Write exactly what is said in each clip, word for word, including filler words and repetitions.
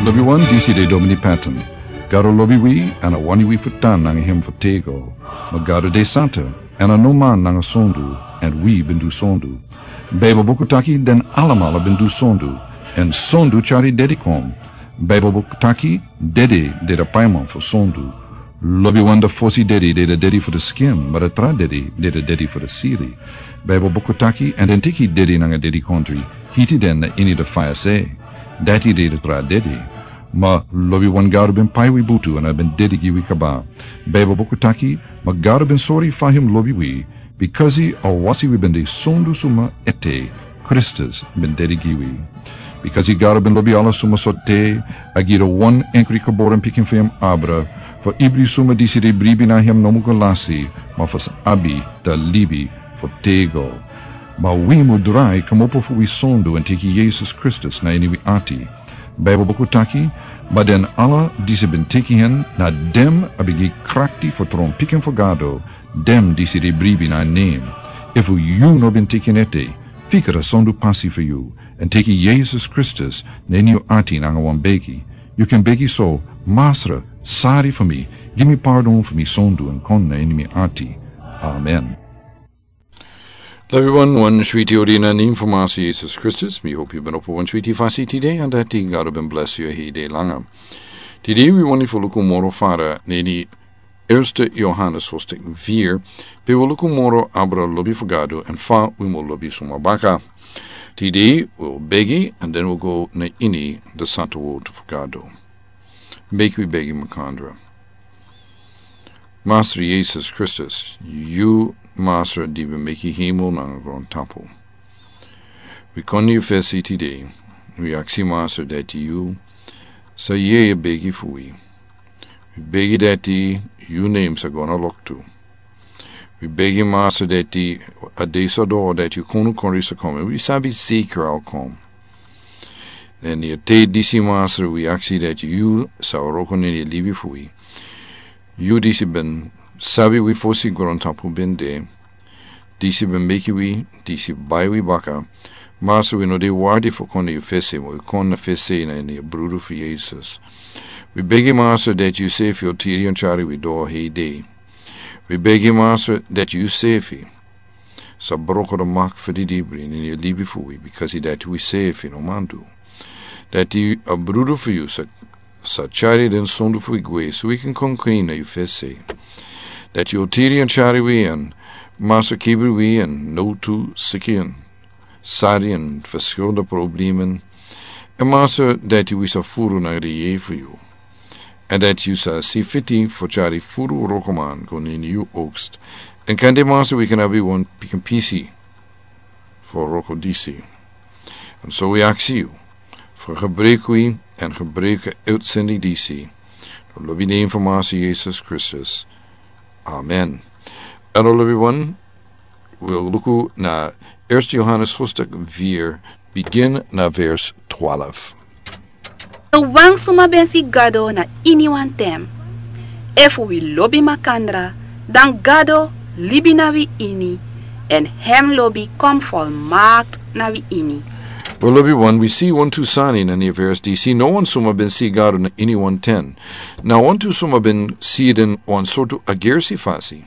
Lobiwan, disi de Domini Patton. Gado lobi wi, èn a wani wi fu tan nanga hem fu tego. Ma Gado de santa, èn a no man nanga sondu, èn wi ben du sondu. Baibel buku taki den alamala ben du sondu, èn sondu tyari dede kon. Baibel buku taki dede de a paiman fu sondu. Lobiwan, a fosi dede de a dede fu a skin, ma a tra dede de a dede fu a sili. Baibel buku taki, èn den teki dede nanga dedikondre, hiti den na ini a faya se. Dati de a tra dede. Ma lobiwan, Gado ben pai wi butu èn a ben dede gi wi kaba. Baibel buku taki, ma Gado ben sori fa hem lobi wi, bikasi a wasi wi ben de sondu suma ete, Kristus ben dede gi wi. Bikasi Gado ben lobi ala suma sortu, a gi a wan enkri geboren pikin fu hem abra, fu ibri suma disi de bribi na hem no mu go lasi, ma fu sa abi a libi fu tego. Ma wi mu drai kmopo fu wi sondu èn teki Yesus Kristus na ini wi ati. Baibel buku taki, ma den ala disi ben teki hen, na den a ben gi krakti fu tron pikin fu Gado, den disi de bribi na nen. Efu yu no ben teki en ete, fika a sondu pasi fu yu, èn teki Yesus Kristus na ini yu ati nanga wan begi. Yu kan begi so: Masra, sari fu mi, gi mi pardon fu mi sondu èn kon na ini mi ati. Amen. Lobiwan, wan switi odi na nen fu Masra Yesus Kristus. Mi hopi yu ben opo wan switi fasi tide, èn dati Gado ben blesi yu heri dei langa. Tide wi wani fu luku moro fara na ini Eerste Johannes hoofdstuk vier, pe wi luku moro abra lobi fu Gado èn fa wi mu lobi suma baka. Tide wi begi, èn den wi go na ini a santa wortu fu Gado. Meki wi begi makandra. Masra Yesus Kristus, yu Masra di ben meki hemel nanga grontapu. Wi kon na yu fesi tide, wi aksi Masra dati yu sa yere a begi fu wi. Wi begi dati yu nen sa go na loktu. Wi begi Masra dati a dei sa doro dati yu kondukondre sa kon. Wi sabi seki a o kon. Èn yu te disi Masra wi aksi dati yu sa wroko na ini a libi fu wi. Yu disi ben sabi wi fosi grontapu ben de. Disi ben meki wi, disi bai wi baka. Masra, wi no de wardi fu kon na yu fesi, ma wi kon na fesi na ini a brudu fu Yesus. Wi begi Masra dati yu sefi o tiri èn tyari wi doro heri dei. Wi begi Masra dati yu sefi sa broko a mak fu didibri na ini a libi fu wi, bikasi dati wi sefi no man du. Dati a brudu fu yu sa sa tyari den sondu fu wi gwe, so wi kan kon krin na yu fesi. Dati yu o tiri èn tyari wi èn Masra kibri wi èn nowtu siki èn sari èn ferskelende problemen. Èn Masra dati wi sa furu na a yeye fu yu. Èn dati yu sa si fiti fu tyari furu wrokoman go na ini yu oogst. Èn kande Masra wi kan abi wan pikin pisi fu wroko disi. Èn so wi aksi yu fu gebruik wi èn gebruik a uitsending disi. Na lobi nen fu Masra Yesus Kristus. Amen. Èn na lobiwan, wi o luku na Eerste Johannes hoofdstuk vier, begin na vers twaalf. No wan suma ben si Gado na ini wan ten. Efu wi lobi makandra, dan Gado libi na wi ini, èn hem lobi kon folmakti na wi ini. Wi lobiwan, wi si wantu sani na ini a vers disi: no wan suma ben si Gado na ini wan ten. Na wantu suma ben si den wan sortu agersi fasi.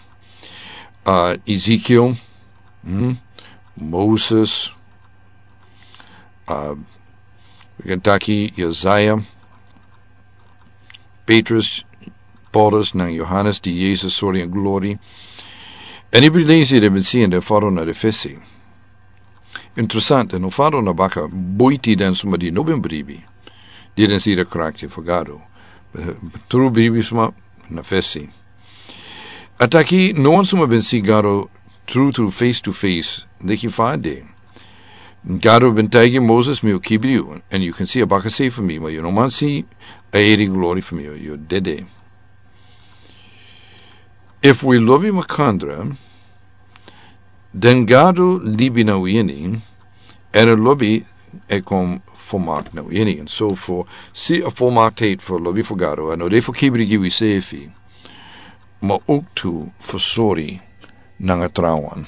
A, Ezekiel, hmm, Moses, a, wi kan taki Yesaya, Petrus, Paulus nanga Johannes, di Yesus sori ini glori. Èn ibri den disi den ben si en, den fadon na den fesi. Interesante, no fadon na baka, buiti den suma di no ben bribi, di den si den krakti fu Gado. Tru bribi suma na fesi. A taki no wan suma ben si Gado tru tru, face to face, leki fa a de. Gado ben taigi Moses: mi o kibri yu, èn yu kan si a bakase fu mi, ma yu no man si a heri glori fu mi, yu o dede. Efu wi lobi makandra, dan Gado libi na wi ini, èn a lobi e kon folmakti na wi ini. Èn so fu si a folmaktiheid fu lobi fu Gado, a no de fu kibri gi wisefi, ma owktu fu sori nanga trawan.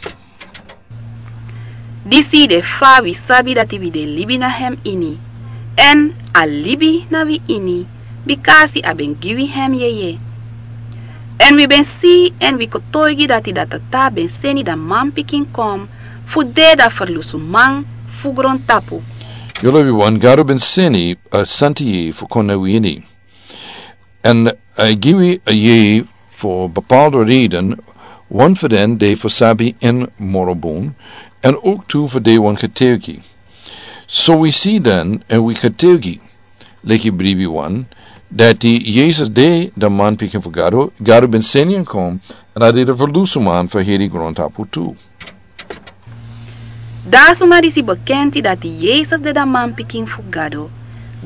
Disi de fa wi sabi dati wi de libi na hem ini, Èn a libi na wi ini, bikasi a ben gi wi hem yeye. Èn wi ben si èn wi kotoigi dati da Tata ben seni da Manpikin kon fu de da ferlusuman fu grontapu. Yu lobi wan, Gado ben seni a santi yeye fu kon na wi ini. Èn a e gi wi a yeye fu bepaalde reden, wan fu den de fu sabi en moro bun, èn ook tu fu de wan getuigi. So wi si den èn wi getuigi, leki bribi wan, dati Yesus de da Manpikin fu Gado, Gado ben seni en kon, èn a de da ferlusuman fu heri grontapu tu. Da suma disi bekenti dati Yesus de da Manpikin fu Gado,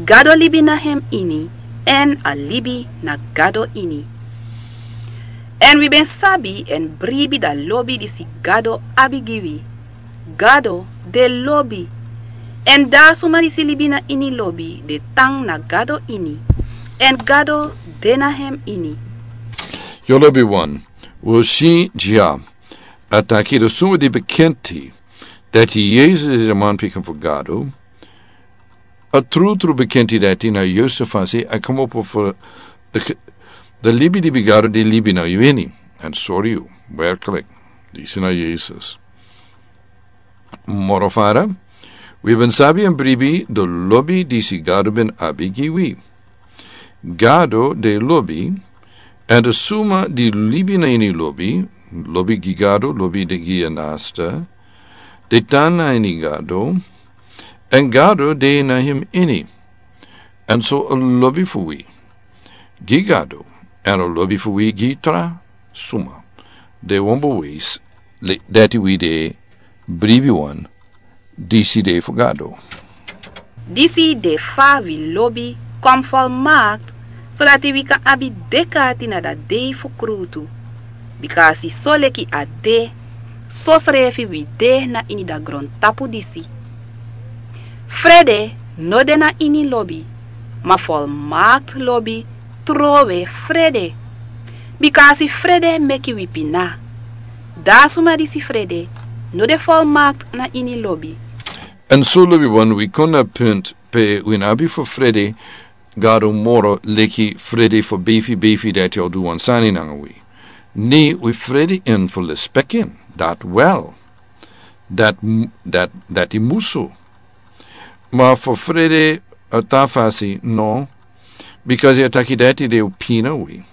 Gado libi na hem ini, èn a libi na Gado ini. Èn wi ben sabi èn bribi da lobi disi Gado abi gi wi. Gado de lobi. Èn da suma disi libi na ini lobi de tan na Gado ini, èn Gado de na hem ini. Yu lobi wan, wi si dya, a taki da suma di bekenti dati Yesus de da Manpikin fu Gado, a trutru bekenti dati na yusu fasi a komopo fu da libi di Gado de libi na yu ini. Èn sori yu, werklik, disi na Yesus. Moro fara, wi ben sabi èn bribi da lobi disi Gado ben abi gi wi. Gado de lobi, èn da suma di libi na ini lobi, lobi gi Gado, lobi de gi a nasta, de tan na ini Gado, èn Gado de na hem ini. Èn so a lobi fu wi gi Gado, èn a lobi fu wi gi tra suma, de wan bewijs dati wi de bribi wan, disi de fu Gado. Disi de fa wi lobi kon folmakti, sodati wi kan abi dek'ati na da dei fu krutu. Bikasi soleki a de, sosrefi wi de na ini da grontapu disi. Frede no de na ini lobi, ma folmakti lobi trowe frede. Bikasi frede meki wi pina. Da suma disi frede no de folmakti na ini lobi. Èn so lobi wan, wi kon na punt pe wi no abi fu frede Gado moro, leki frede fu beifi beifi dati o du wan sani nanga wi. Ne, wi frede en fu lespeki en, dati wel. Dati, dati, dati musu. Ma fu frede a tra fasi, no. Bikasi a taki dati de o pina wi.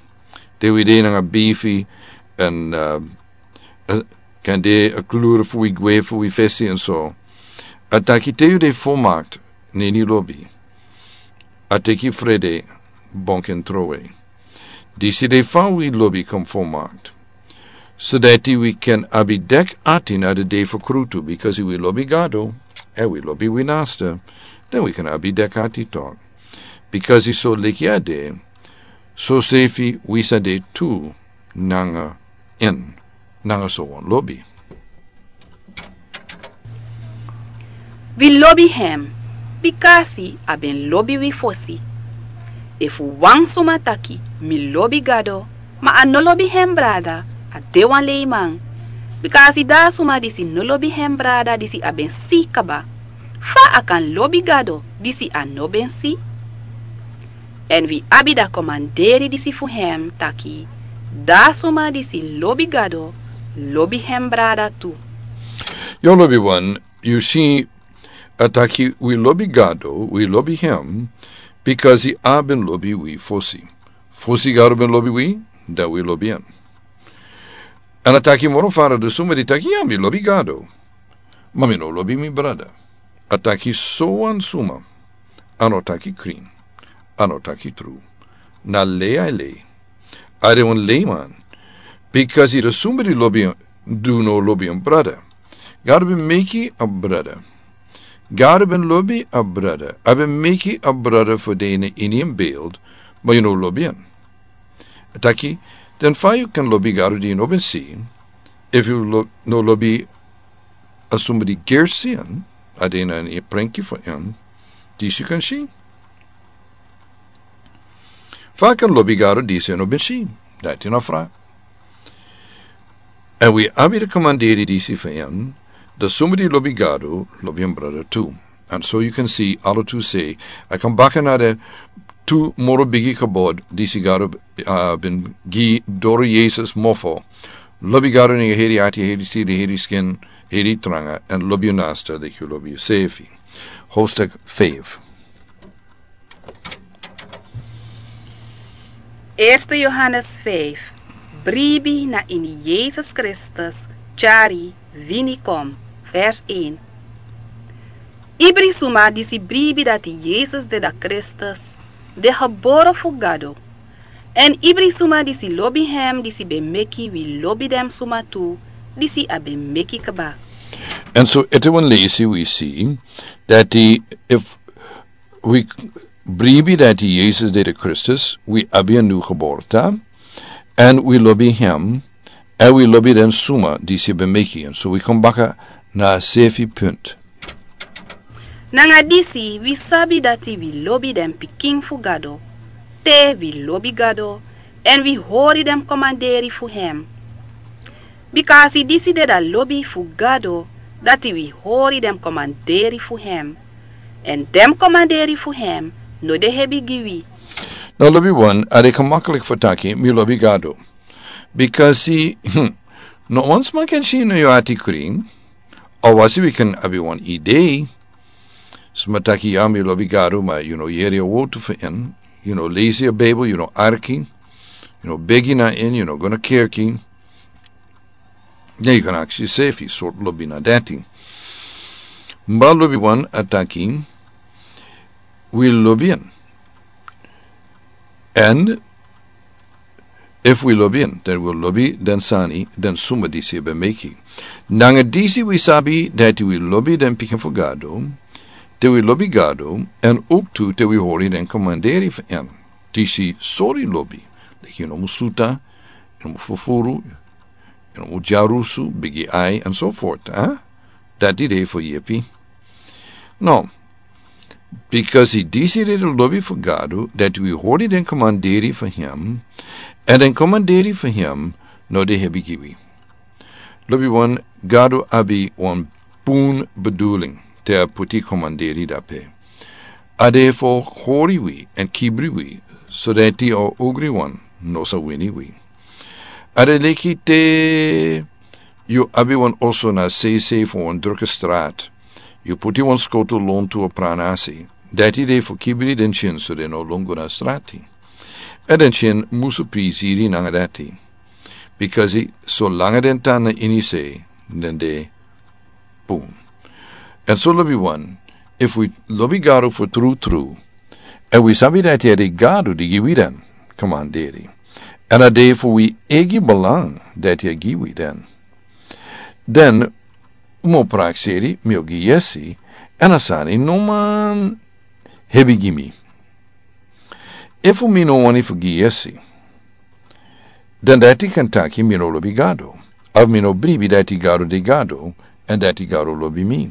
Te wi de nanga beifi èn, eh, eh, kan de a kluru fu wi gwe fu wi fesi èn so. A taki te yu de folmakti na ini lobi, a teki frede, bonken trowe. Disi de fa wi lobi kon folmakti, sodati wi kan abi dek'ati na da dei fu krutu, bikasi wi lobi Gado, èn wi lobi wi nasta, dan wi kan abi dek'ati tok. Bikasi soleki a de, sosrefi wi sa de tu nanga en, nanga so wan lobi. Wi lobi hem, bikasi a ben lobi wi fosi. Efu wan suma taki mi lobi Gado, ma a no lobi hem brada, a de wan leiman. Bikasi da suma disi no lobi hem brada disi a ben si kaba, fa a kan lobi Gado disi a no ben si? Èn wi abi da komanderi disi fu hem taki, da suma disi lobi Gado, lobi hem brada tu. Yu lobi wan, yu si, a taki wi lobi Gado, wi lobi hem, bikasi a ben lobi wi fosi. Fosi Gado ben lobi wi, dan wi lobi en. Èn a taki moro fara, da suma di taki ya mi lobi Gado, ma mi no lobi mi brada. A taki so wan suma, a no taki krin, a no taki tru. Na lei a e lei. A de wan leiman. Bikasi da suma di lobi, di no lobi en brada. Gado ben meki a brada. Gado ben lobi a brada. A ben meki a brada fu de na ini en beeld, ma yu no lobi en. A taki, dan fa yu kan lobi Gado di yu no ben si, efu yu lo-, no lobi a suma di gersi en, a de na ini a prenki fu en, disi yu kan si. Fa a kan lobi Gado disi a no ben si, dati na a vraag. Èn wi abi da komanderi disi fu en, da suma di lobi Gado, lobi en brada tu. And so you can see, ala tu sei, a kan baka na de tu moro bigi kabod, disi Gado, uh, bin gi doro Jesus mofo. Lobi Gado ni heri ati, heri sidi, heri skin, heri tranga, and lobi nasta, de yu lobi sefi. Hostek fave. Eerste Johannes vijf. Bribi na ini Jesus Kristus, tyari, wini kom. Vers één. Ibri suma disi bribi dati Jesus de da Kristus, de gebore fu Gado. En ibri suma disi lobi hem disi ben meki wi lobi den suma tu, disi a ben meki kaba. En so ete wan leisi wi si, dati if wi bribi dati Jesus de de Kristus, wi abi a nu geboorte, en wi lobi hem, en wi lobi den suma disi ben meki. En so wi kom baka na sefi punt. Nanga disi wi sabi dati wi lobi den pikin fu Gado, te wi lobi Gado, en wi hori den komanderi fu hem. Bikasi disi de da lobi fu Gado, dati wi hori den komanderi fu hem. En den komanderi fu hem no de hebi gi wi. No lobi wan, a de gemakkelijk fu taki, mi lobi Gado. Bikasi, hmm, no wan sma kan si no yu ati krin, a wasi wi kan abi wan idee. Sma taki ya mi lobi Gado, ma yu no yeri a wotu fu en, yu no leisi a Bijbel, yu no arki, yu no begi na en, yu no go na kerki. Ne yu kan aksi sefi, sort lobi na dati. Mba lobi wan a taki, wi lobi en. En if wi lobi en, dan wi lobi den sani, den suma disi ben meki. Nanga disi wi sabi dati wi lobi den pikin fu Gado, te wi lobi Gado, en ook tu te wi hori den komanderi fu en. Disi sori lobi, leki yu no mu suta, yu no mu fufuru, yu no mu dyarusu, bigi ai, en so fort, eh? Dati de fu yepi. No, bikasi disi de lobi fu Gado, dati wi hori den komanderi fu hem, en den komanderi fu hem no de hebi gi wi. Lobi wan, Gado abi wan bun bedoeling te a puti komanderi dape. A de fu hori wi en kibri wi, so dati a ogri wan no sa wini wi. A de leki te yu abi wan oso na seisei fu wan drukke straat. Yu puti wan skotu lontu a pranasi. Dati de fu kibri den tyin so den no lon go na strati. En den tyin musu prisiri nanga dati. Bikasi solanga den tan na ini sei, den de bun. En so lobi wan, if wi lobi Gado fu tru tru, en wi sabi dati a de Gado di gi wi den komanderi. En a de fu wi eigi belang dati a gi wi den. Den, un mu prakseri, mi o gi yesi, en a sani no man hebi gi mi. Efu mi no wani fu gi yesi, dan dati kan taki mi no lobi Gado. Of mi no bribi dati Gado de Gado, en dati Gado lobi mi.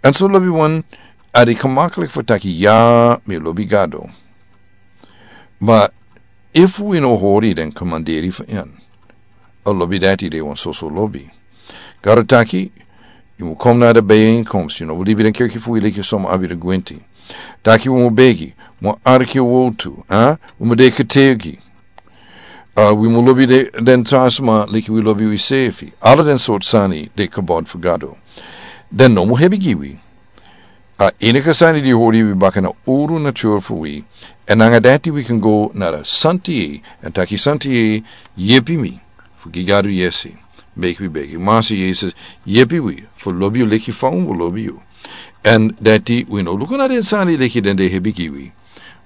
En so lobi wan, a de gemakkelijk fu taki ya mi lobi Gado. Ma efu wi no hori den komanderi fu en, a lobi dati de wan soso lobi. Gado taki, yu mu kom na de bijeenkomst, yu no mu libi den kerki fu wi leki soma abi de gwenti. Taki wi mu begi, mu arki a wotu, eh? Wi mu de ketegi. Uh, wi mu lobi de, den tra sma leki wi lobi wi sefi. Ala den sort sani de kabod fu Gado. Den no mu hebi gi wi. A enige sani di hori wi baka na uru natur fu wi. En nanga dati wi kan go na de santi, en taki santi, yepi mi fu gi Gado yesi. Meki wi begi, Masi Yesus, yepi wi fu lobi yu leki fa un lobi yu. En dati wi no luku na den sani leki den de hebi gi wi.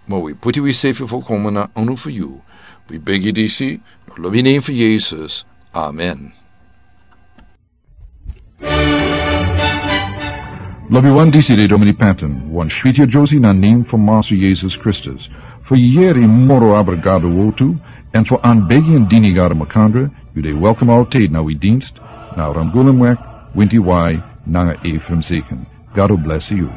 Ma wi puti wi sefi fu koma na unu fu yu. Wi begi disi na lobi nen fu Yesus. Amen. Lobi wan, disi de Domini Patton, wan switi a Josie na nen fu Masi Yesus Kristus. Fu yeri moro abra Gado wotu, en fu anbegi en dini Gado makandra, yu de welkom altijd na wi dienst, na Ramgulemweg, winti wai, nanga Ephraim Zeken. Gado blesi yu.